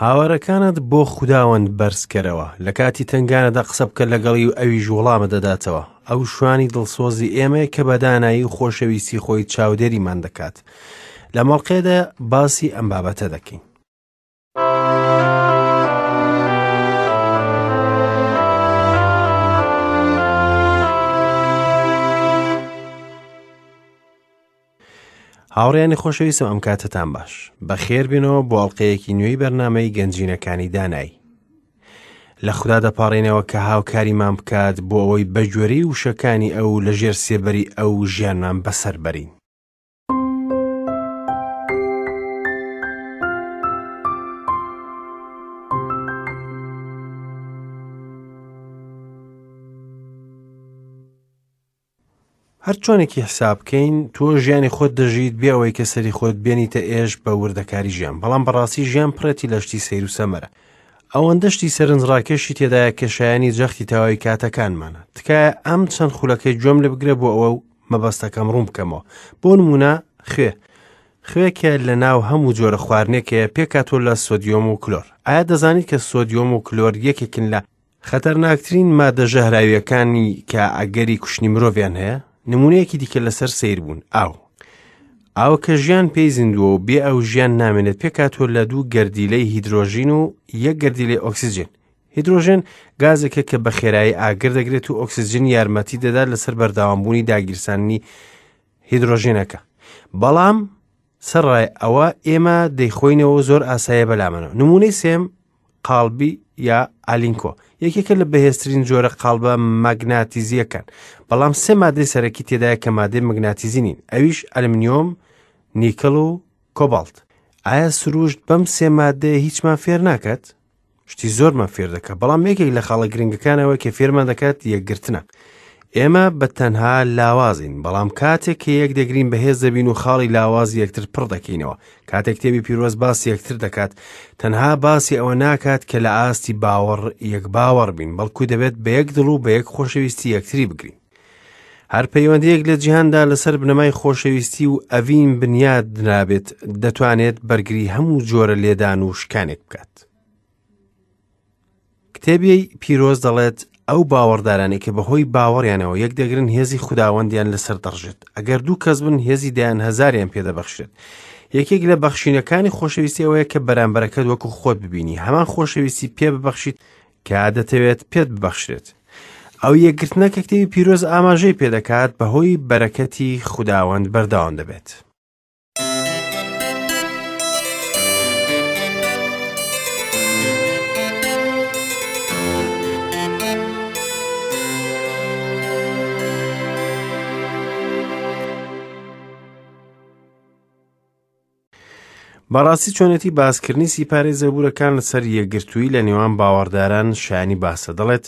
هاوارەکانت بۆ خوداوەند بەرزکەرەوە، لە کاتی تەنگانەدا قسە بکە لەگەڵی و ئەویش وەڵامت دەداتەوە. ئەو شوانی دڵسۆزی ئێمەیە کە بە دانایی و خۆشەویستی خۆی چاودێریمان دەکات. لە مەڵقێدا باسی ئەم بابەتە دەکەین. هاوڕێیانی خۆشەویستم ئەم کاتەتان باش بەخێر بێنەوە بۆ ئەڵلقەیەکی نوێی بەرنمەی گەنجینەکانی دانایی لە خوددا دەپاڕێنەوە کە هاوکاریمان بکات بۆ ئەوەی بەگوێرەی وشەکانی ئەو لە ژێر سێبەری ئەو ژیانمان بەسەر بەرین. هەر چۆنێکی حساب بکەین تۆ ژیانی خۆت دەژیت بێ ئەوەی کە سەری خۆت بێنیتە ئێش بە وردەکاری ژیان بەڵام بەڕاستی ژیان پڕێتی لە شتی سەیر و سەمەرە ئەوەندە شتی سەرنجڕاکێشی تێدایە کە شایانی جەختی تەواوی کاتەکانمانە تکایە ئەم چەند خولەکەی گوێم لێ بگرە بۆ ئەوە و مەبەستەکەم ڕوون بکەمەوە بۆ نمونە خوێ خوێ کە لە ناو هەموو جۆرە خواردنێک هەیە پێکهاتووە لە سۆدیۆم و کلۆر ئایا دەزانیت کە سۆدیۆم و کلۆر یەکێکن لە خەتەرناکترین مادە ژەهراویەکانی کە ئەگەری کوشتنی مرۆڤیان هەیە نمونەیەکی دیکە لەسەر سیر بوون ئاو ئاو کە ژیان پێی زیندووە و بێ ئەو ژیان نامێنێت پێکهاتووە لە دوو گەردیلەی هیدرۆژین و یەک گەردیلەی ئۆکسجین هیدرۆژێن گازێکە کە بە خێرایی ئاگر دەگرێت و ئۆکسجین یارمەتی دەدات لەسەر بەردەوامبوونی داگیرساننی هیدرۆژێنەکە بەڵام سەرڕای ئەوە ئێمە دەیخۆینەوە زۆر ئاسایە بەلامەنەوە نمونەی سێم قاڵبی یا ئالینکۆ یەکێکە لە بەهێزترین جۆرە قاڵبە مەگناتیزیەکان بەڵام سێ مادەی سەرەکی تێدایە کە مادەی مەگناتیزی نین ئەویش ئەلمنیۆم نیکل و کۆباڵت ئایا سروشت بەم سێ مادەیە هیچمان فێر ناکات شتی زۆرمان فێر دەکات بەڵام یەکێک لە خاڵە گرنگەکانەوە کە فێرمان دەکات یەکگرتنە ئێمە بە تەنها لاوازین بەڵام کاتێک کە یەک دەگرین بەهێز دەبین و خاڵی لاواز یەکتر پڕ دەکەینەوە کاتێک کتێبی پیرۆز باسی یەکتر دەکات تەنها باسی ئەوە ناکات کە لە ئاستی باوەڕ یەک باوەڕ بین بەڵکو دەبێت بە یەک دڵ و بە یەک خۆشەویستی یەکتری بگرین هەر پەیوەندیەک لە جیهاندا لەسەر بنەمای خۆشەویستی و ئەڤین بنیاد نرابێت دەتوانێت بەرگری هەموو جۆرە لێدان و شکانێک بکات. کتێبی پیرۆز دەڵێت ئەو باوەڕدارانەی کە بەهۆی باوەڕیانەوە یەک دەگرن هێزی خوداوەندیان لەسەر دەڕژێت ئەگەر دوو کەس بن هێزی دەیان هەزاریان پێدەبەخشێت یەکێک لە بەخشینەکانی خۆشەویستی ئەوەیە کە بەرامبەرەکەت وەکو خۆت ببینی هەمان خۆشەویستی پێ ببەخشیت کە دەتەوێت پێت ببەخشرێت. ئەو یەکگرتنە کە کتێبی پیرۆز ئاماژەی پێدەکات بەهۆی بەرەکەتی خوداوەند بەردەوام دەبێت. بەڕاستی چۆنێتی باسکردنی سیپارەی زەبوورەکان لەسەر یەکگرتوویی لە نێوان باوەڕداران شایانی باسە دەڵێت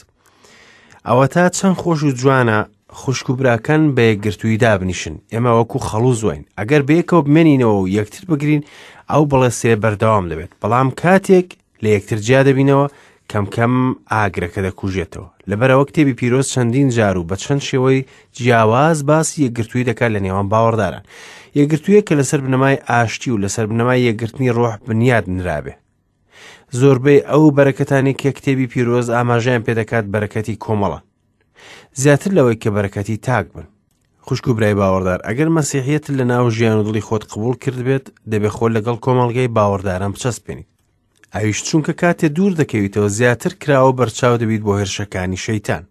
ئەوە تا چەند خۆش و جوانە خوشک و براکان بە یەکگرتووی دابنیشن ئێمە وەکو خەڵوز واین ئەگەر بەیەکەوە بمێنینەوە و یەکتر بگرین ئەو بڵێسێ بەردەوام دەبێت بەڵام کاتێک لە یەکتر جیا دەبینەوە کەم کەم ئاگرەکە دەکوژێتەوە لەبەرەوە کتێبی پیرۆز چەندین جار و بە چەند شێوەی جیاواز باسی یەکگرتووی دەکات لە نێوان باوەڕداران یەکگرتوویە کە لەسەر بنەمای ئاشتی و لەسەر بنەمای یەکگرتنی ڕۆح بنیاد نرابێ زۆربەی ئەو بەرەکەتانی کە کتێبی پیرۆز ئاماژەیان پێدەکات بەرەکەتی کۆمەڵە زیاتر لەوەی کە بەرەکەتی تاک بن خوشک و برای باوەڕدار ئەگەر مەسیحیەت لە ناو ژیان و دڵی خۆت قبول کردبێت دەبێ خۆ لەگەڵ کۆمەڵگەی باوەڕداران بچەسپێنیت ئەویش چونکە کاتێ دوور دەکەویتەوە زیاتر کراوە بەرچاو دەبیت بۆ هێرشەکانی شەیتان.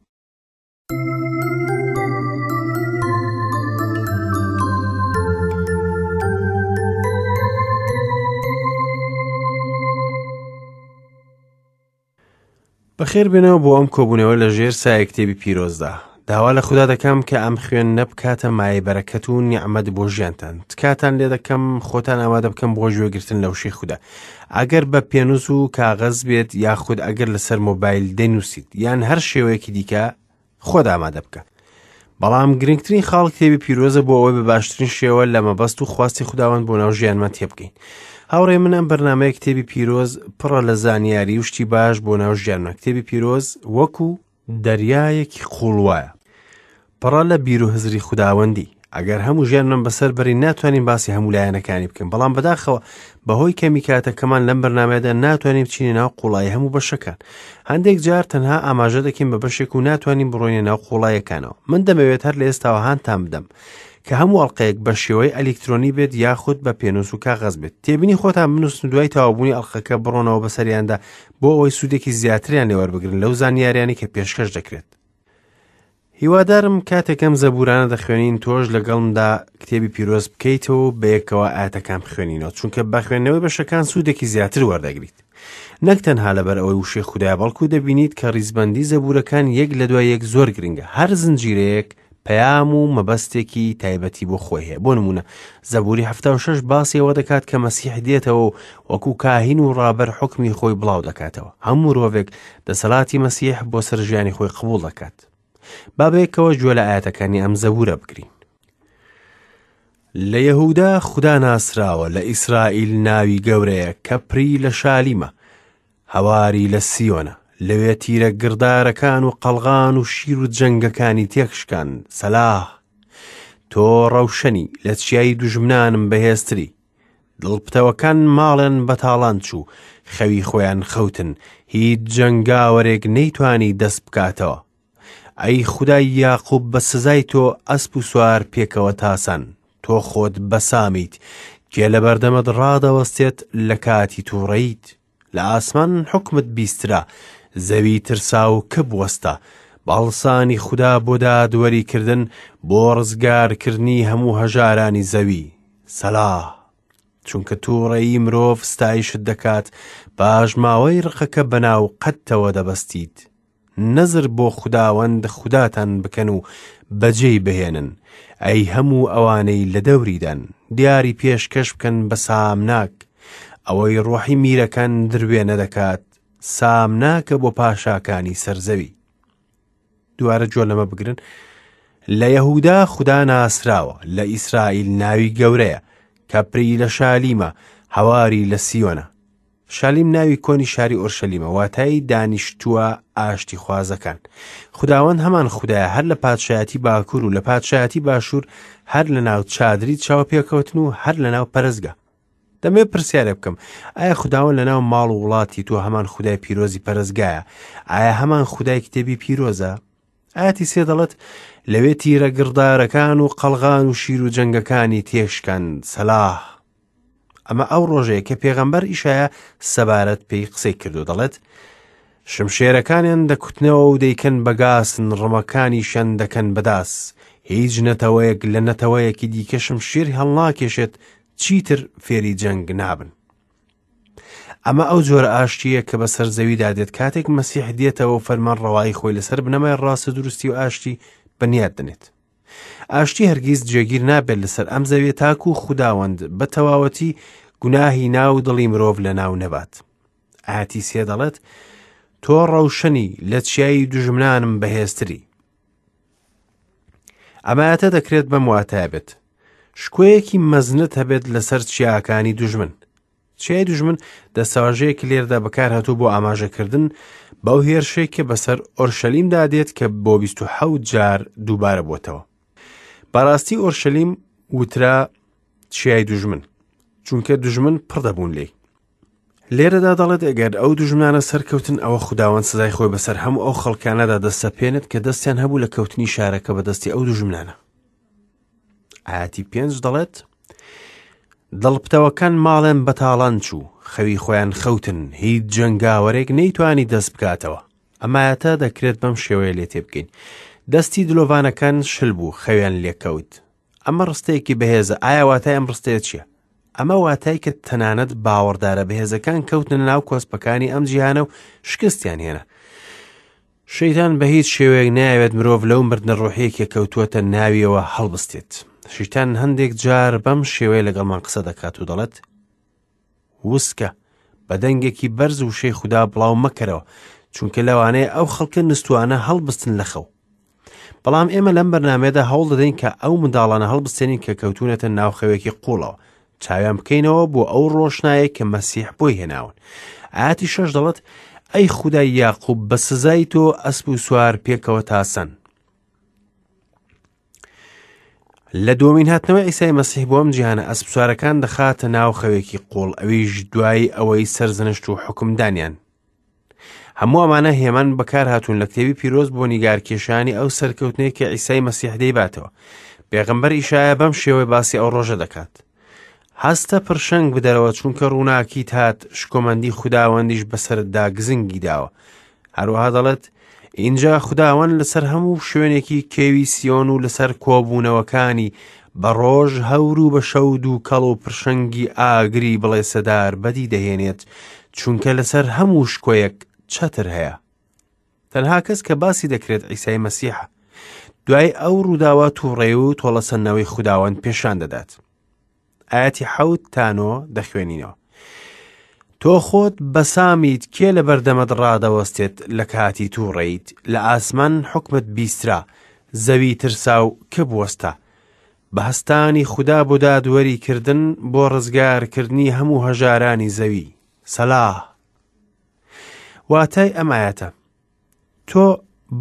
بەخێر بێنەوە بۆ ئەم کۆبوونەوە لە ژێر سایە کتێبی پیرۆزدا داوا لە خودا دەکەم کە ئەم خوێن نەبکاتە مایە بەرەکەت و نیعممەد بۆ ژیانتان تکاتان لێ دەکەم خۆتان ئامادە بکەم بۆ گوێگرتن لە وشەی خودا ئەگەر بە پێنووس و کاغەز بێت یاخود ئەگەر لەسەر مۆبایل دەنووسیت یان هەر شێوەیەکی دیکە خۆت ئامادە بکە بەڵام گرنگترین خاڵ کتێبی پیرۆزە بۆ ئەوەی بە باشترین شێوە لە مەبەست و خواستی خوداوەند بۆ ناو ژیانمان تێبگەین هاوڕێ من ئەم بەرنمەیە کتێبی پیرۆز پڕە لە زانیاری و شتی باش بۆ ناو ژیانمان کتێبی پیرۆز وەکو دەریایەکی قوڵ وایە پڕە لە بیر و هزری خوداوەندی. ئەگەر هەموو ژیانمان بەسەر بەرین ناتوانین باسی هەموو لایەنەکانی بکەین، بەڵام بەداخەوە بەهۆی کەمی کاتەکەمان لەم بەرنامەیەدا ناتوانین بچینە ناو قوڵایی هەموو بەشەکان. هەندێک جار تەنها ئاماژە دەکەین بە بەشێک و ناتوانین بڕۆینە ناو قوڵاییەکانەوە. من دەمەوێت هەر لە ئێستاوە هانتان بدەم کە هەموو ئەڵقەیەک بە شێوەی ئەلیکترۆنی بێت یاخود بە پێنووس و کاغەز بێت. تێبینی خۆتان بنووسن و دوای تەواوبوونی ئەڵقەکە بڕۆنەوە بەسەریاندا بۆ ئەوەی سوودێکی زیاتریان لێ وەربگرن لەو زانیاریانەی کە پێشکەش دەکرێت. هیوادارم کاتێک ئەم زەبورانە دەخوێنین تۆش لەگەڵمدا کتێبی پیرۆز بکەیتەوە و بەیەکەوە ئاەتەکان بخوێنینەوە چونکە بە خوێندنەوەی بەشەکان سوودێکی زیاتر وەردەگریت نەک تەنها لەبەر ئەوەی وشەی خودایە بەڵکو دەبینیت کە ڕیزبەندی زەبورەکان یەک لە دوای یەک زۆر گرنگە هەر زنجیرەیەک پەیام و مەبەستێکی تایبەتی بۆ خۆی هەیە بۆ نمونە زەبوری 76 باسی ئەوە دەکات کە مەسیح دێتەوە و وەکو کاهین و ڕابەر حکمی خۆی بڵاو دەکاتەوە هەموو مرۆڤێک دەسەڵاتی مەسیح بۆ سەر ژیانی خۆی قبوڵ دەکات با بەیەکەوە گوێ لە ئاەتەکانی ئەم زەبورە بگرین لە یەهودا خودا ناسراوە لە ئیسرائیل ناوی گەورەیە کەپری لە شالیمە هەواری لە سیۆنە لەوێ تیرە گڕدارەکان و قەڵغان و شیر و جەنگەکانی تێکشکان سەلاح تۆ ڕەوشەنی لە چیای دوژمنانم بەهێزتری دڵ پتەوەکان ماڵیان بەتاڵان چوو خەوی خۆیان خەوتن هیچ جەنگاوەرێک نەیتوانی دەست بکاتەوە ئەی خودای یاقوب بە سزای تۆ ئەسپ و سوار پێکەوە تاسان تۆ خۆت بەسامیت کێ لە بەردەمت ڕادەوەستێت لە کاتی تووڕەیت لە ئاسمان حوکمت بیسترا، زەوی ترسا و کپ وەستا، بە هەڵسانی خودا بۆ دادوەریکردن، بۆ ڕزگارکردنی هەموو هەژارانی زەوی. سەلا. چونکە تووڕەیی مرۆڤ ستایشت دەکات، پاشماوەی ڕقەکە بەناو قەدتەوە دەبەستیت. نەزر بۆ خوداوەند خوداتان بکەن و بەجێی بهێنن، ئەی هەموو ئەوانەی لە دەوریدان، دیاری پێشکەش بکەن بە سامناک، ئەوەی ڕۆحی میرەکان دروێنە دەکات، سامناکە بۆ پاشاکانی سەر زەوی. دووارە گوێ لەمە بگرن، لە یەهودا خودا ناسراوە، لە ئیسرائیل ناوی گەورەیە، کەپری لە شالیمە، هەواری لە سیۆنە. شالیم ناوی کۆنی شاری ئۆرشەلیمە، واتای دانیشتووە ئاشتیخوازەکان. خوداوەند هەمان خودایە هەر لە پادشایەتی باکوور و لە پادشایەتی باشوور، هەر لە ناو چادری چاوپێکەوتن و هەر لە ناو پەرستگا. دەمەوێت پرسیارێ بکەم، ئایا خوداوەند لە ناو ماڵ و وڵاتی تۆ هەمان خودای پیرۆزی پەرستگایە؟ ئایا هەمان خودای کتێبی پیرۆزە؟ ئاەتی سێ دەڵێت لەوێ تیرە گڕدارەکان و قەڵغان و شیر و جەنگەکانی تێشکان سەلاح ئەمە ئەو ڕۆژەیە کە پێغەمبەر ئیشایا سەبارەت پێی قسەی کردو دەڵێت شمشێرەکانیان دەکوتنەوە و دەیکەن بە گاسن ڕمەکانیشیان دەکەن بەداس هیچ نەتەوەیەک لە نەتەوەیەکی دیکە شمشێر هەڵناکێشێت چیتر فێری جەنگ نابن ئەمە ئەو جۆرە ئاشتییە کە بەسەر زەویدا دێت کاتێک مەسیح دێتەوە و فەرمان ڕەوایی خۆی لەسەر بنەمای ڕاست و دروستی و ئاشتی بنیات دەنێت ئاشتی هەرگیز جێگیر نابێت لەسەر ئەم زەویە تاکو و خوداوەند بە تەواوەتی گوناهی ناو دڵی مرۆڤ لە ناو نەبات. ئاتی سێ دەڵێت تۆ ڕەوشەنی لە چیایی دوژمنانم بەهێزتری. ئەمایەتە دەکرێت بەم واتایە بێت شکۆیەکی مەزنت هەبێت لەسەر چیاکانی دوژمن چیای دوژمن دەستەواژەیەکی لێرەدا بەکارهاتوو بۆ ئاماژەکردن بەو هێرشەی کە بەسەر ئۆرشەلیمدا دێت کە بۆ 27 جار دووبارە بۆتەوە. بەڕاستی ئۆرشەلیم وترا چیای دوژمن چونکە دوژمن پڕ دەبوون لێی. لێرەدا دەڵێت ئەگەر ئەو دوژمنانە سەرکەوتن ئەوە خوداوەند سزای خۆی بەسەر هەموو ئەو خەڵکانەدا دەسەپێنێت کە دەستیان هەبوو لە کەوتنی شارەکە بەدەستی ئەو دوژمنانە. ئاەتی پێنج دەڵێت دڵپتەوەکان ماڵێن بەتاڵان چوو خەوی خۆیان خەوتن هیچ جەنگاوەرێک نەیتوانی دەست بکاتەوە ئەمایەتە دەکرێت بەم شێوەیە لێ تێبگەین دەستی دلۆڤانەکان شل بوو خەویان لێکەوت ئەمە ڕستەیەکی بەهێزە ئایا واتای ئەم ڕستەیە چییە ئەمە واتای کە تەنانەت باوەڕدارە بەهێزەکان کەوتنە ناو کۆسپەکانی ئەم جیهانە و شکستیان هێنا شەیتان بە هیچ شێوەیەک نایەوێت مرۆڤ لەو مردنە ڕۆحیە کە کەوتووەتە ناویەوە هەڵبستێت. شەیتان هەندێک جار بەم شێوەیە لەگەڵمان قسە دەکات و دەڵێت وسکە بە دەنگێکی بەرز وشەی خودا بڵاو مەکەرەوە چونکە لەوانەیە ئەو خەڵکە نوستوانە هەڵبستن لە خەو بەڵام ئێمە لەم بەرنمەیەدا هەوڵ دەدەین کە ئەو منداڵانە هەڵبستێنین کە کەوتونەتە ناو خەوێکی قوڵەوە چاویان بکەینەوە بۆ ئەو ڕۆشنایە کە مەسیح بۆی هێناون ئاتی شەش دەڵێت ئەی خودای یاقوب بە سزای تۆ ئەسپ و سوار پێکەوە تاسەن. لە دووەمین هاتنەوەی عیسای مەسیح بۆ ئەم جیهانە ئەسپسوارەکان دەخاتە ناو خەوێکی قوڵ ئەویش دوای ئەوەی سەرزەنشت و حوکمدانیان. هەموو ئەمانە هێمان بەکار هاتوون لە کتێبی پیرۆز بۆ نیگارکێشانی ئەو سەرکەوتنەی کە عیسای مەسیح دەیباتەوە. پێغەمبەر ئیشایا بەم شێوەی باسی ئەو ڕۆژە دەکات. هەستە پرشنگ بدەرەوە چونکە ڕووناکیت هات شکۆمەندی خوداوەندیش بەسەرتدا گزنگی داوە. هەروەها دەڵێت ئینجا خوداوەند لەسەر هەموو شوێنێکی کێوی سیۆن و لەسەر کۆبوونەوەکانی بە ڕۆژ هەور و بە شەو دووکەڵ و پرشنگی ئاگری بڵێسەدار بەدی دەهێنێت چونکە لەسەر هەموو شکۆیەک چەتر هەیە. تەنها کەس کە باسی دەکرێت عیسای مەسیحە. دوای ئەو ڕووداوە تووڕەی و تۆڵەسەندنەوەی خوداوەند پێشان دەدات. ئاەتی حەوت تا نۆ دەخوێنینەوە. تۆ خۆت بەسامیت کێ لە بەردەمت ڕادەوەستێت لە کاتی تووڕەیت لە ئاسمان حکمت بیسترا زەوی ترسا و کپ وەستا بە هەستانی خودا بۆ دادوەری کردن بۆ ڕزگارکردنی هەموو هەژارانی زەوی سەلاح واتای ئەم ئایەتە تۆ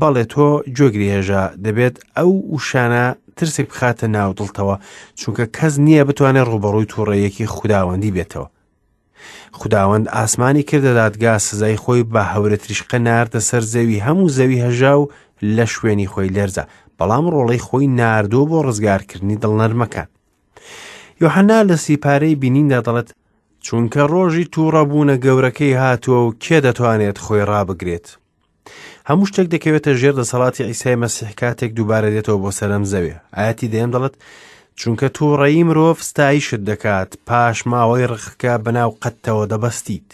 بەڵێ تۆ گوێگری هێژا دەبێت ئەو وشانە ترسێک بخاتە ناو دڵتەوە چونکە کەس نییە بتوانێت ڕوبەڕووی تووڕەیەکی خوداوەندی بێتەوە خوداوەند ئاسمانی کردە دادگا سزای خۆی بە هەورە تریشقە ناردە سەر زەوی هەموو زەوی هەژا و لە شوێنی خۆی لەرزا بەڵام ڕۆڵەی خۆی ناردووە بۆ ڕزگارکردنی دڵنەرمەکان یۆحەنا لە سیپارەی بینیندا دەڵێت چونکە ڕۆژی تووڕەبوونە گەورەکەی هاتووە و کێ دەتوانێت خۆی ڕابگرێت هەموو شتێک دەکەوێتە ژێر دەسەڵاتی عیسای مەسیح کاتێک دووبارە دێتەوە بۆ سەرم زەوێ ئاەتی دەیەم دەڵێت چونکە تووڕەیی مرۆڤ ستایشت دەکات پاش ماوەی ڕقەکە بەناو قەتەوە دەبەستیت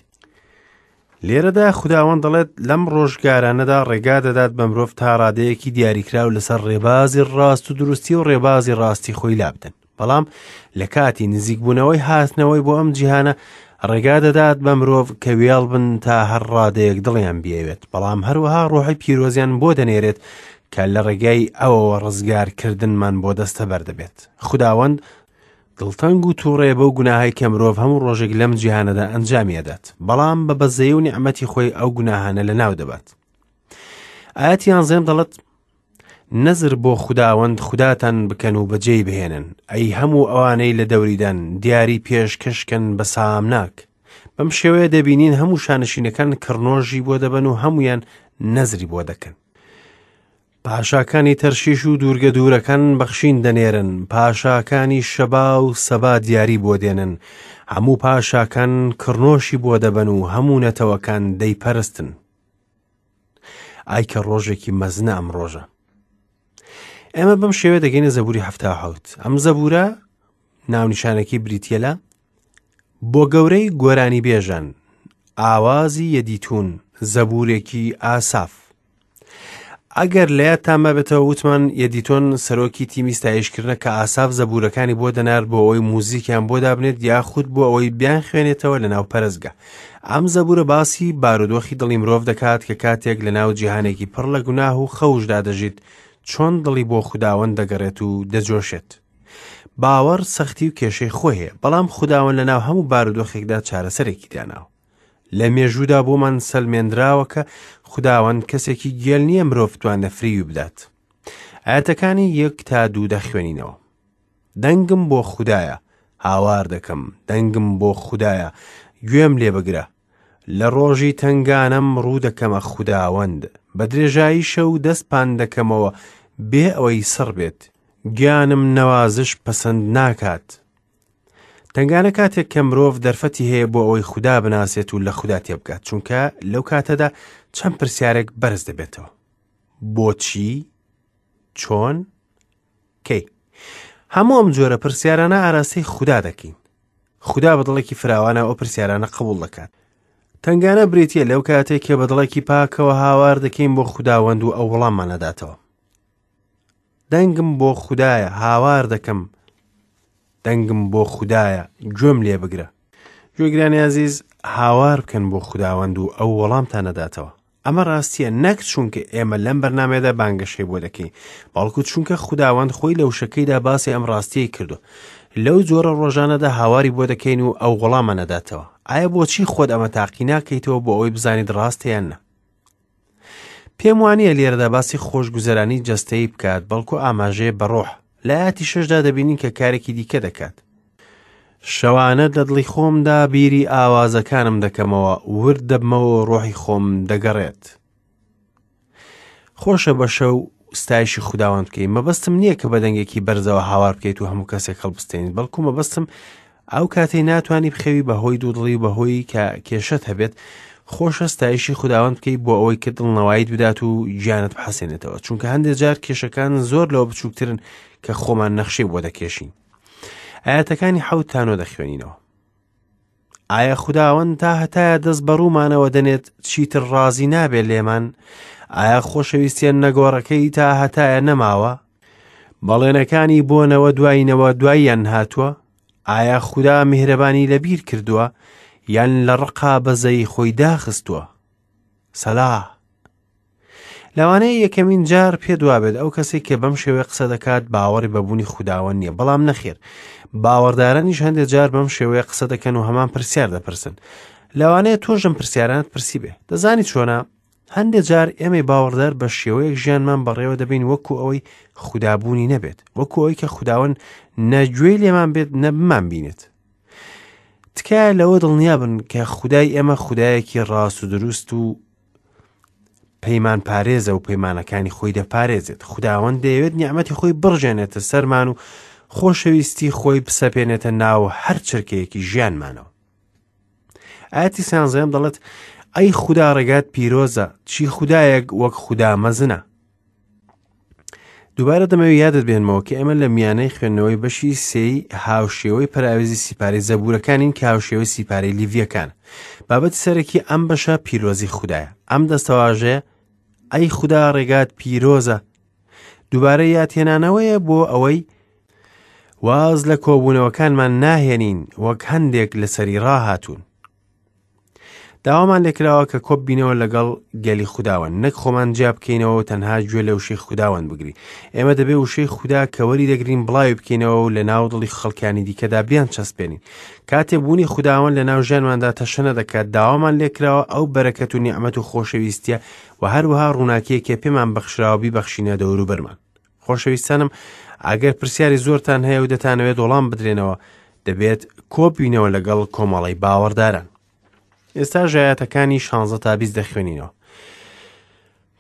لێرەدا خوداوەند دەڵێت لەم ڕۆژگارانەدا ڕێگا دەدات بە مرۆڤ تا ڕادەیەکی دیاریکراو لەسەر ڕێبازی ڕاست و دروستی و ڕێبازی ڕاستی خۆی لابدەن بەڵام لە کاتی نزیکبوونەوەی هاتنەوەی بۆ ئەم جیهانە ڕێگا دەدات بە مرۆڤ کە وێڵ بن تا هەر ڕادەیەک دڵیان بیەوێت بەڵام هەروەها ڕۆحی پیرۆزیان بۆ دەنێرێت کە لە ڕێگای ئەوەوە ڕزگارکردنمان بۆ دەستەبەر دەبێت خوداوەند دڵتەنگ و تووڕەیە بەو گوناهەی کە مرۆڤ هەموو ڕۆژێک لەم جیهانەدا ئەنجامی ئەدات بەڵام بە بەزەیی و نیعمەتی خۆی ئەو گوناهانە لەناو دەبات ئاەتی یانزەم دەڵێت نەزر بۆ خوداوەند خوداتان بکەن و بەجێی بهێنن ئەی هەموو ئەوانەی لە دەوریدان دیاری پێشکەشکەن بە سامناک بەم شێوەیە دەبینین هەموو شانشینەکان کڕنۆژی بۆ دەبەن و هەمویان نەزری بۆ دەکەن پاشاکانی تەرشیش و دوورگە دوورەکان بەخشین دەنێرن، پاشاکانی شەبا و سەبا دیاری بۆ دێنن، هەموو پاشاکان کڕنۆشی بۆ دەبەن و هەموو نەتەوەکان دەیپەرستن. ئای کە ڕۆژێکی مەزنە ئەم ڕۆژە. ئێمە بەم شێوە دەگەینە زەبوری 77. ئەم زەبورە ناونیشانەکەی بریتە لە بۆ گەورەی گۆرانی بێژان ئاوازی یەدیتون زەبورێکی ئاساف ئەگەر لە یادتان مابێتەوە وتمان یەدیتۆن سەرۆکی تیمی ستایشکردنە کە ئاساف زەبورەکانی بۆ دەنارد بۆ ئەوەی موزیکیان بۆ دابنێت یاخود بۆ ئەوەی بیان خوێنێتەوە لە ناو پەرستگا ئەم زەبورە باسی بارودۆخی دڵی مرۆڤ دەکات کە کاتێک لە ناو جیهانێکی پڕ لە گوناه و خەوشدا دەژیت چۆن دڵی بۆ خوداوەند دەگەڕێت و دەجۆشێت باوەڕ سەختی و کێشەی خۆی هەیە بەڵام خوداوەند لە ناو هەموو بارودۆخێکدا چارەسەرێکی داناوە لە مێژوودا بۆمان سەلمێنراوە کە خوداوەند کەسێکی گێل نییە مرۆڤ بتوانێت فریوی بدات. ئاەتەکانی یەک تا دوو دەخوێنینەوە. دەنگم بۆ خودایە، هاوار دەکەم، دەنگم بۆ خودایە، گوێم لێ بگرە. لە ڕۆژی تەنگانەم ڕوو دەکەمە خوداوەند، بە درێژایی شەو دەست پان دەکەمەوە بێ ئەوەی سڕ بێت. گیانم نەوازش پەسەند ناکات. تەنگانە کاتێک کە مرۆڤ دەرفەتی هەیە بۆ ئەوەی خودا بناسێت و لە خودا تێبگات چونکە لەو کاتەدا چەند پرسیارێک بەرز دەبێتەوە بۆچی چۆن کەی هەموو ئەم جۆرە پرسیارانە ئاراستەی خودا دەکەین خودا بە دڵێکی فراوانە ئەو پرسیارانە قبول دەکات تەنگانە بریتە لەو کاتێک کە بە دڵێکی پاکەوە هاوار دەکەین بۆ خوداوەند و ئەو وەڵاممان نەداتەوە دەنگم بۆ خودایە هاوار دەکەم دەنگم بۆ خودایە گوێم لێ بگرە گوێگرانی ئازیز هاوار بکەن بۆ خوداوەند و ئەو وەڵامتان نەداتەوە ئەمە ڕاستیە نەک چونکە ئێمە لەم بەرنمەیەدا بانگەشەی بۆ دەکەین بەڵکو چونکە خوداوەند خۆی لە وشەکەیدا باسی ئەم ڕاستیەی کردو لەو جۆرە ڕۆژانەدا هاواری بۆ دەکەین و ئەو وەڵامە نەداتەوە ئایا بۆچی خۆت ئەمە تاقی ناکەیتەوە بۆ ئەوەی بزانیت ڕاستە یان نا پێم وانییە لێرەدا باسی خۆشگوزەرانی جەستەیی بکات، بەڵکو ئاماژەیە بە ڕۆح. لە ئاەتی شەشدا دەبینین کە کارێکی دیکە دەکات. شەوانە لە دڵی خۆمدا بیری ئاوازەکانم دەکەمەوە، ورد دەبمەوە و ڕۆحی خۆم دەگەڕێت. خۆشە بە شەو ستایشی خوداوەند بکەی. مەبەستم نییە کە بە دەنگێکی بەرزەوە هاوار بکەیت و هەموو کەسێک هەڵبستێنیت، بەڵکو مەبەستم ئەو کاتەی ناتوانی بخەوی بەهۆی دوودڵی و بەهۆی کە کێشەت هەبێت، خۆشە ستایشی خوداوەند بکەیت بۆ ئەوەی کە دڵنەواییت بدات و گیانت بحەسێنێتەوە، چونکە هەندێک جار کێشەکان زۆر لەوە بچووکترن کە خۆمان نەخشەی بۆ دەکێشین. ئاەتەکانی حەوت تا نۆ دەخوێنینەوە. ئایا خوداوەند تا هەتایە دەست بە ڕوومانەوە دەنێت، چیتر ڕازی نابێت لێمان؟ ئایا خۆشەویستیە نەگۆڕەکەی تا هەتایە نەماوە؟ بەڵێنەکانی بۆ نەوە دوای نەوە دواییان هاتووە؟ ئایا خودا میهرەبانی لەبیر کردووە یان لە ڕقا بەزەیی خۆی داخستووە؟ سەلا. لەوانەیە یەکەمین جار پێت وابێت ئەو کەسێک کە بەم شێوەیە قسە دەکات باوەڕی بە بوونی خوداوەند نییە، بەڵام نەخێر، باوەڕدارانیش هەندێک جار بەم شێوەیە قسە دەکەن و هەمان پرسیار دەپرسن. لەوانەیە تۆش ئەم پرسیارانت پرسی بێ. دەزانی چۆنە؟ هەندێک جار ئێمەی باوەڕدار بە شێوەیەک ژیانمان بەڕێوە دەبین وەکو ئەوەی خودابوونی نەبێت، وەکو ئەوەی کە خوداوەند نە گوێی لێمان بێت نە بمان بینێت. تکایە لەوە دڵنیابن کە خودای ئێمە خودایەکی ڕاست و دروست و پەیمان پارێزە و پەیمانەکانی خۆی دەپارێزێت. خوداوەند دەیەوێت نیعمەتی خۆی بڕژێنێتە سەرمان و خۆشەویستی خۆی بسەپێنێتە ناو هەر چرکەیەکی ژیانمانەوە. ئاەتی سانزەم دەڵێت ئەی خودا ڕێگات پیرۆزە، چی خودایەک وەک خودا مەزنە. دووبارە دەمەوێت یادت بێنمەوە کە ئێمە لە میانەی خوێندنەوەی بەشی سێی هاوشێوەی پەراوێزی سیپارەی زەبوورەکانین کە هاوشێوەی سیپارەی لیڤیەکان. بابەتی سەرەکی ئەم بەشە پیرۆزی خودایە. ئەم دەستەواژەیە ئەی خودا ڕێگات پیرۆزە دووبارە یادهێنانەوەیە بۆ ئەوەی واز لە کۆبوونەوەکانمان ناهێنین وەک هەندێک لەسەری ڕاهاتوون. داوامان لێکراوە کە کۆب بینەوە لەگەڵ گەلی خوداوەند، نەک خۆمان جیا بکەینەوە و تەنها گوێ لە وشەی خوداوەند بگرین. ئێمە دەبێ وشەی خودا کە وەری دەگرین بڵاوی بکەینەوە و لە ناو دڵی خەڵکانی دیکەدا بیان چەسپێنین. کاتێ بوونی خوداوەند لە ناو ژیانماندا تەشەنە دەکات، داوامان لێکراوە ئەو بەرەکەت و نیعمەت و خۆشەویستیە و هەروەها ڕووناکیەکێ پێمان بەخشراوە بیبەخشینە دەوروبەرمان. خۆشەویستانم، ئەگەر پرسیاری زۆرتان هەیە و دەتانەوێت وەڵام بدرێنەوە، دەبێت کۆببینەوە لەگەڵ کۆمەڵەی باوەڕداران. ئێستا ژایەتەکانی 16 تا 20 دەخوێنینەوە.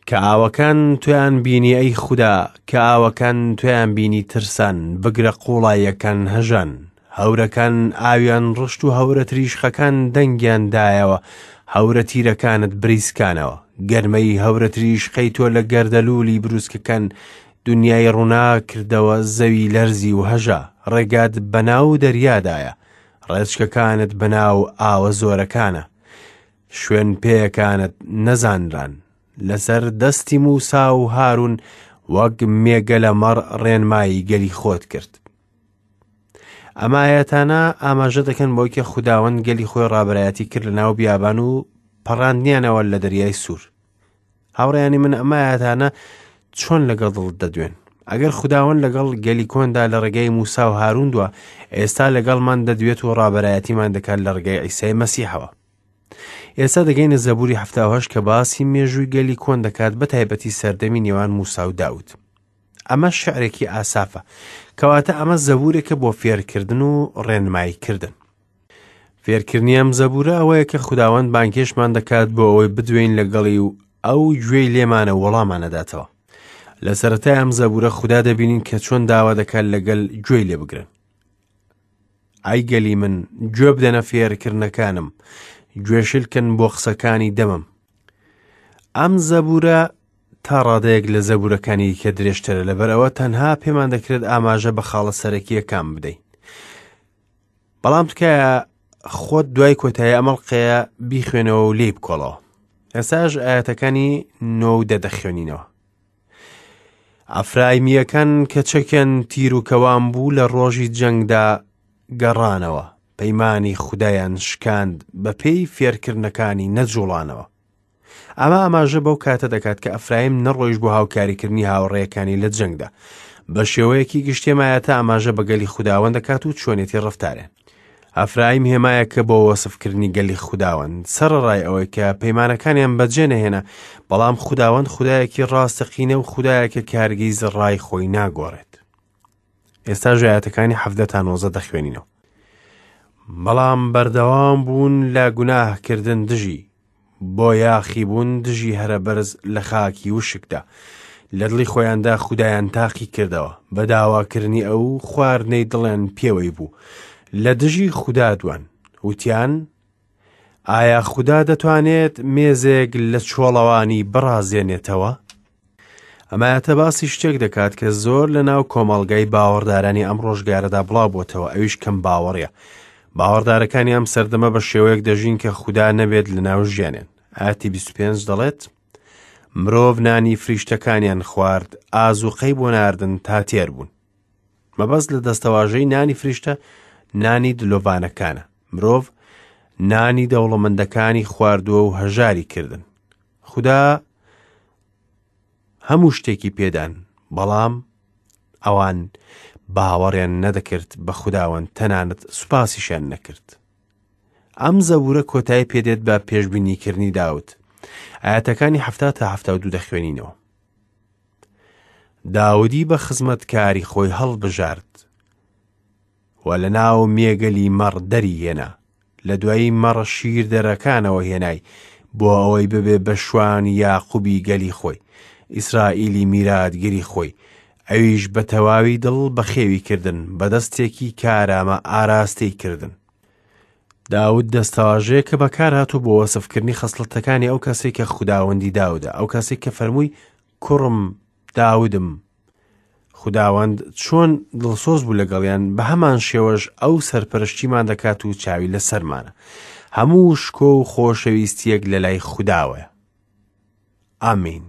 کە ئاوەکان تویان بینی ئەی خودا، کە ئاوەکان تویان بینی ترسان، بگرە قوڵاییەکان هەژان. هەورەکان ئاویان ڕشت و هەورە تریشقەکان دەنگیان دایەوە، هەورە تیرەکانت بریسکانەوە. گەرمەی هەورە تریشقەی تۆ لە گەردەلوولی بروسکەکان دنیای ڕووناک کردەوە، زەوی لەرزی و هەژا. ڕێگات بەناو دەریادایە، ڕێچکەکانت بەناو ئاوە زۆرەکانە. شوێن پێیەکانت نەزانران. لەسەر دەستی موسا و هارون وەک مێگەلە مەڕ ڕێنمایی گەلی خۆت کرد. ئەم ئایەتانە ئاماژە دەکەن بۆی کە خوداوەند گەلی خۆی ڕابەرایەتی کرد لە ناو بیابان و پەڕاندنیانەوە لە دەریای سوور. هاوڕێیانی من ئەم ئایەتانە چۆن لەگەڵ دڵت دەدوێن؟ ئەگەر خوداوەند لەگەڵ گەلی کۆندا لە ڕێگای موسا و هارون دووە، ئێستا لەگەڵمان دەدوێت و ڕابەرایەتیمان دەکات لە ڕێگای عیسای مەسیحەوە. ئێستا دەگەینە زەبوری 78 کە باسی مێژووی گەلی کۆن دەکات، بە تایبەتی سەردەمی نێوان موسا و داود. ئەمە شعرێکی ئاسافە، کەواتە ئەمە زەبورێکە بۆ فێرکردن و ڕێنماییکردن. فێرکردنی ئەم زەبورە ئەوەیە کە خوداوەند بانگهێشتمان دەکات بۆ ئەوەی بدوێین لەگەڵی و ئەو گوێی لێمانە و وەڵامان ئەداتەوە. لە سەرەتای ئەم زەبورە خودا دەبینین کە چۆن داوا دەکات لەگەل گوێی لێ بگرن. ئەی گەلی من، گوێ بدەنە فێرکردنەکانم، گوێشلکن بۆ قسەکانی دەمم. ئەم زەبورە تا ڕادەیەک لە زەبورەکانی دیکە درێژترە، لەبەرئەوە تەنها پێمان دەکرێت ئاماژە بە خاڵە سەرەکییەکان بدەین. بەڵام تکایە خۆت دوای کۆتایی ئەم ئەڵقەیە بیخوێنەوە و لێی بکۆڵەوە. ئێستاش ئایەتەکانی نۆ و دە دەخوێنینەوە. ئەفرایمییەکان کە چەکیان تیر و کەوان بوو لە ڕۆژی جەنگدا گەڕانەوە، پەیمانی خودایان شکاند، بەپێی فێرکردنەکانی نەجوڵانەوە. ئەمە ئاماژە بەو کاتە دەکات کە ئەفرایم نەڕۆیشت بۆ هاوکاریکردنی هاوڕێیەکانی لە جەنگدا. بە شێوەیەکی گشتی ئەم ئایەتە ئاماژە بە گەلی خوداوەند دەکات و چۆنێتی ڕەفتاریان. ئەفرایم هێمایەکە بۆ وەسفکردنی گەلی خوداوەند، سەرەڕای ئەوەی کە پەیمانەکانیان بەجێ نەهێنا، بەڵام خوداوەند خودایەکی ڕاستەقینە و خودایەکە کە هەرگیز ڕای خۆی ناگۆڕێت. ئێستاش ئایەتەکانی 17 تا 19 دەخوێنینەوە. بەڵام بەردەوام بوون لە گوناهکردن دژی، بۆ یاخیبوون دژی هەرەبەرز لە خاکی وشکدا. لە دڵی خۆیاندا خودایان تاقی کردەوە، بە داواکردنی ئەو خواردنەی دڵیان پێوەی بوو. لە دژی خودا دوان، وتیان، ئایا خودا دەتوانێت مێزێک لە چۆڵەوانی بڕازێنێتەوە؟ ئەم ئایەتە باسی شتێک دەکات کە زۆر لە ناو کۆمەڵگای باوەڕدارانی ئەم ڕۆژگارەدا بڵاو بۆتەوە، ئەویش کەم باوەڕیە. باوەڕدارەکانی ئەم سەردەمە بە شێوەیەک دەژین کە خودا نەبێت لە ناو ژیانیان. ئایەتی 25 دەڵێت، مرۆڤ نانی فریشتەکانیان خوارد، ئازوقەی بۆ ناردن تا تێر بوون. مەبەست لە دەستەواژەی نانی فریشتە نانی دلۆڤانەکانە. مرۆڤ نانی دەوڵەمەندەکانی خواردووە و هەژاری کردن. خودا هەموو شتێکی پێدان، بەڵام ئەوان باوەڕیان نەدەکرد بە خوداوەند، تەنانەت سوپاسیشیان نەکرد. ئەم زەبورە کۆتایی پێدێت بە پێشبینیکردنی داود. ئاەتەکانی 70 تا 72 دەخوێنینەوە. داودی بە خزمەتکاری خۆی هەڵبژارد و لە ناو مێگەلی مەڕ دەری هێنا، لە دوایی مەڕە شیردەرەکانەوە هێنای بۆ ئەوەی ببێ بە شوانی یاقوبی گەلی خۆی، ئیسرائیلی میراتگری خۆی، ئەویش بە تەواوی دڵ بەخێوی کردن، بە دەستێکی کارامە ئاراستەی کردن. داود دەستەواژەیەکە بەکارهاتوو بۆ وەسفکردنی خەسڵەتەکانی ئەو کەسەی کە خوداوەندی داودە، ئەو کەسەی کە فەرمووی کوڕم داودم. خوداوەند چۆن دڵسۆز بوو لەگەڵیان، بە هەمان شێوەش ئەو سەرپەرشتیمان دەکات و چاوی لەسەرمانە. هەموو شکۆ و خۆشەویستیەک لە لای خوداوەیە. ئامین.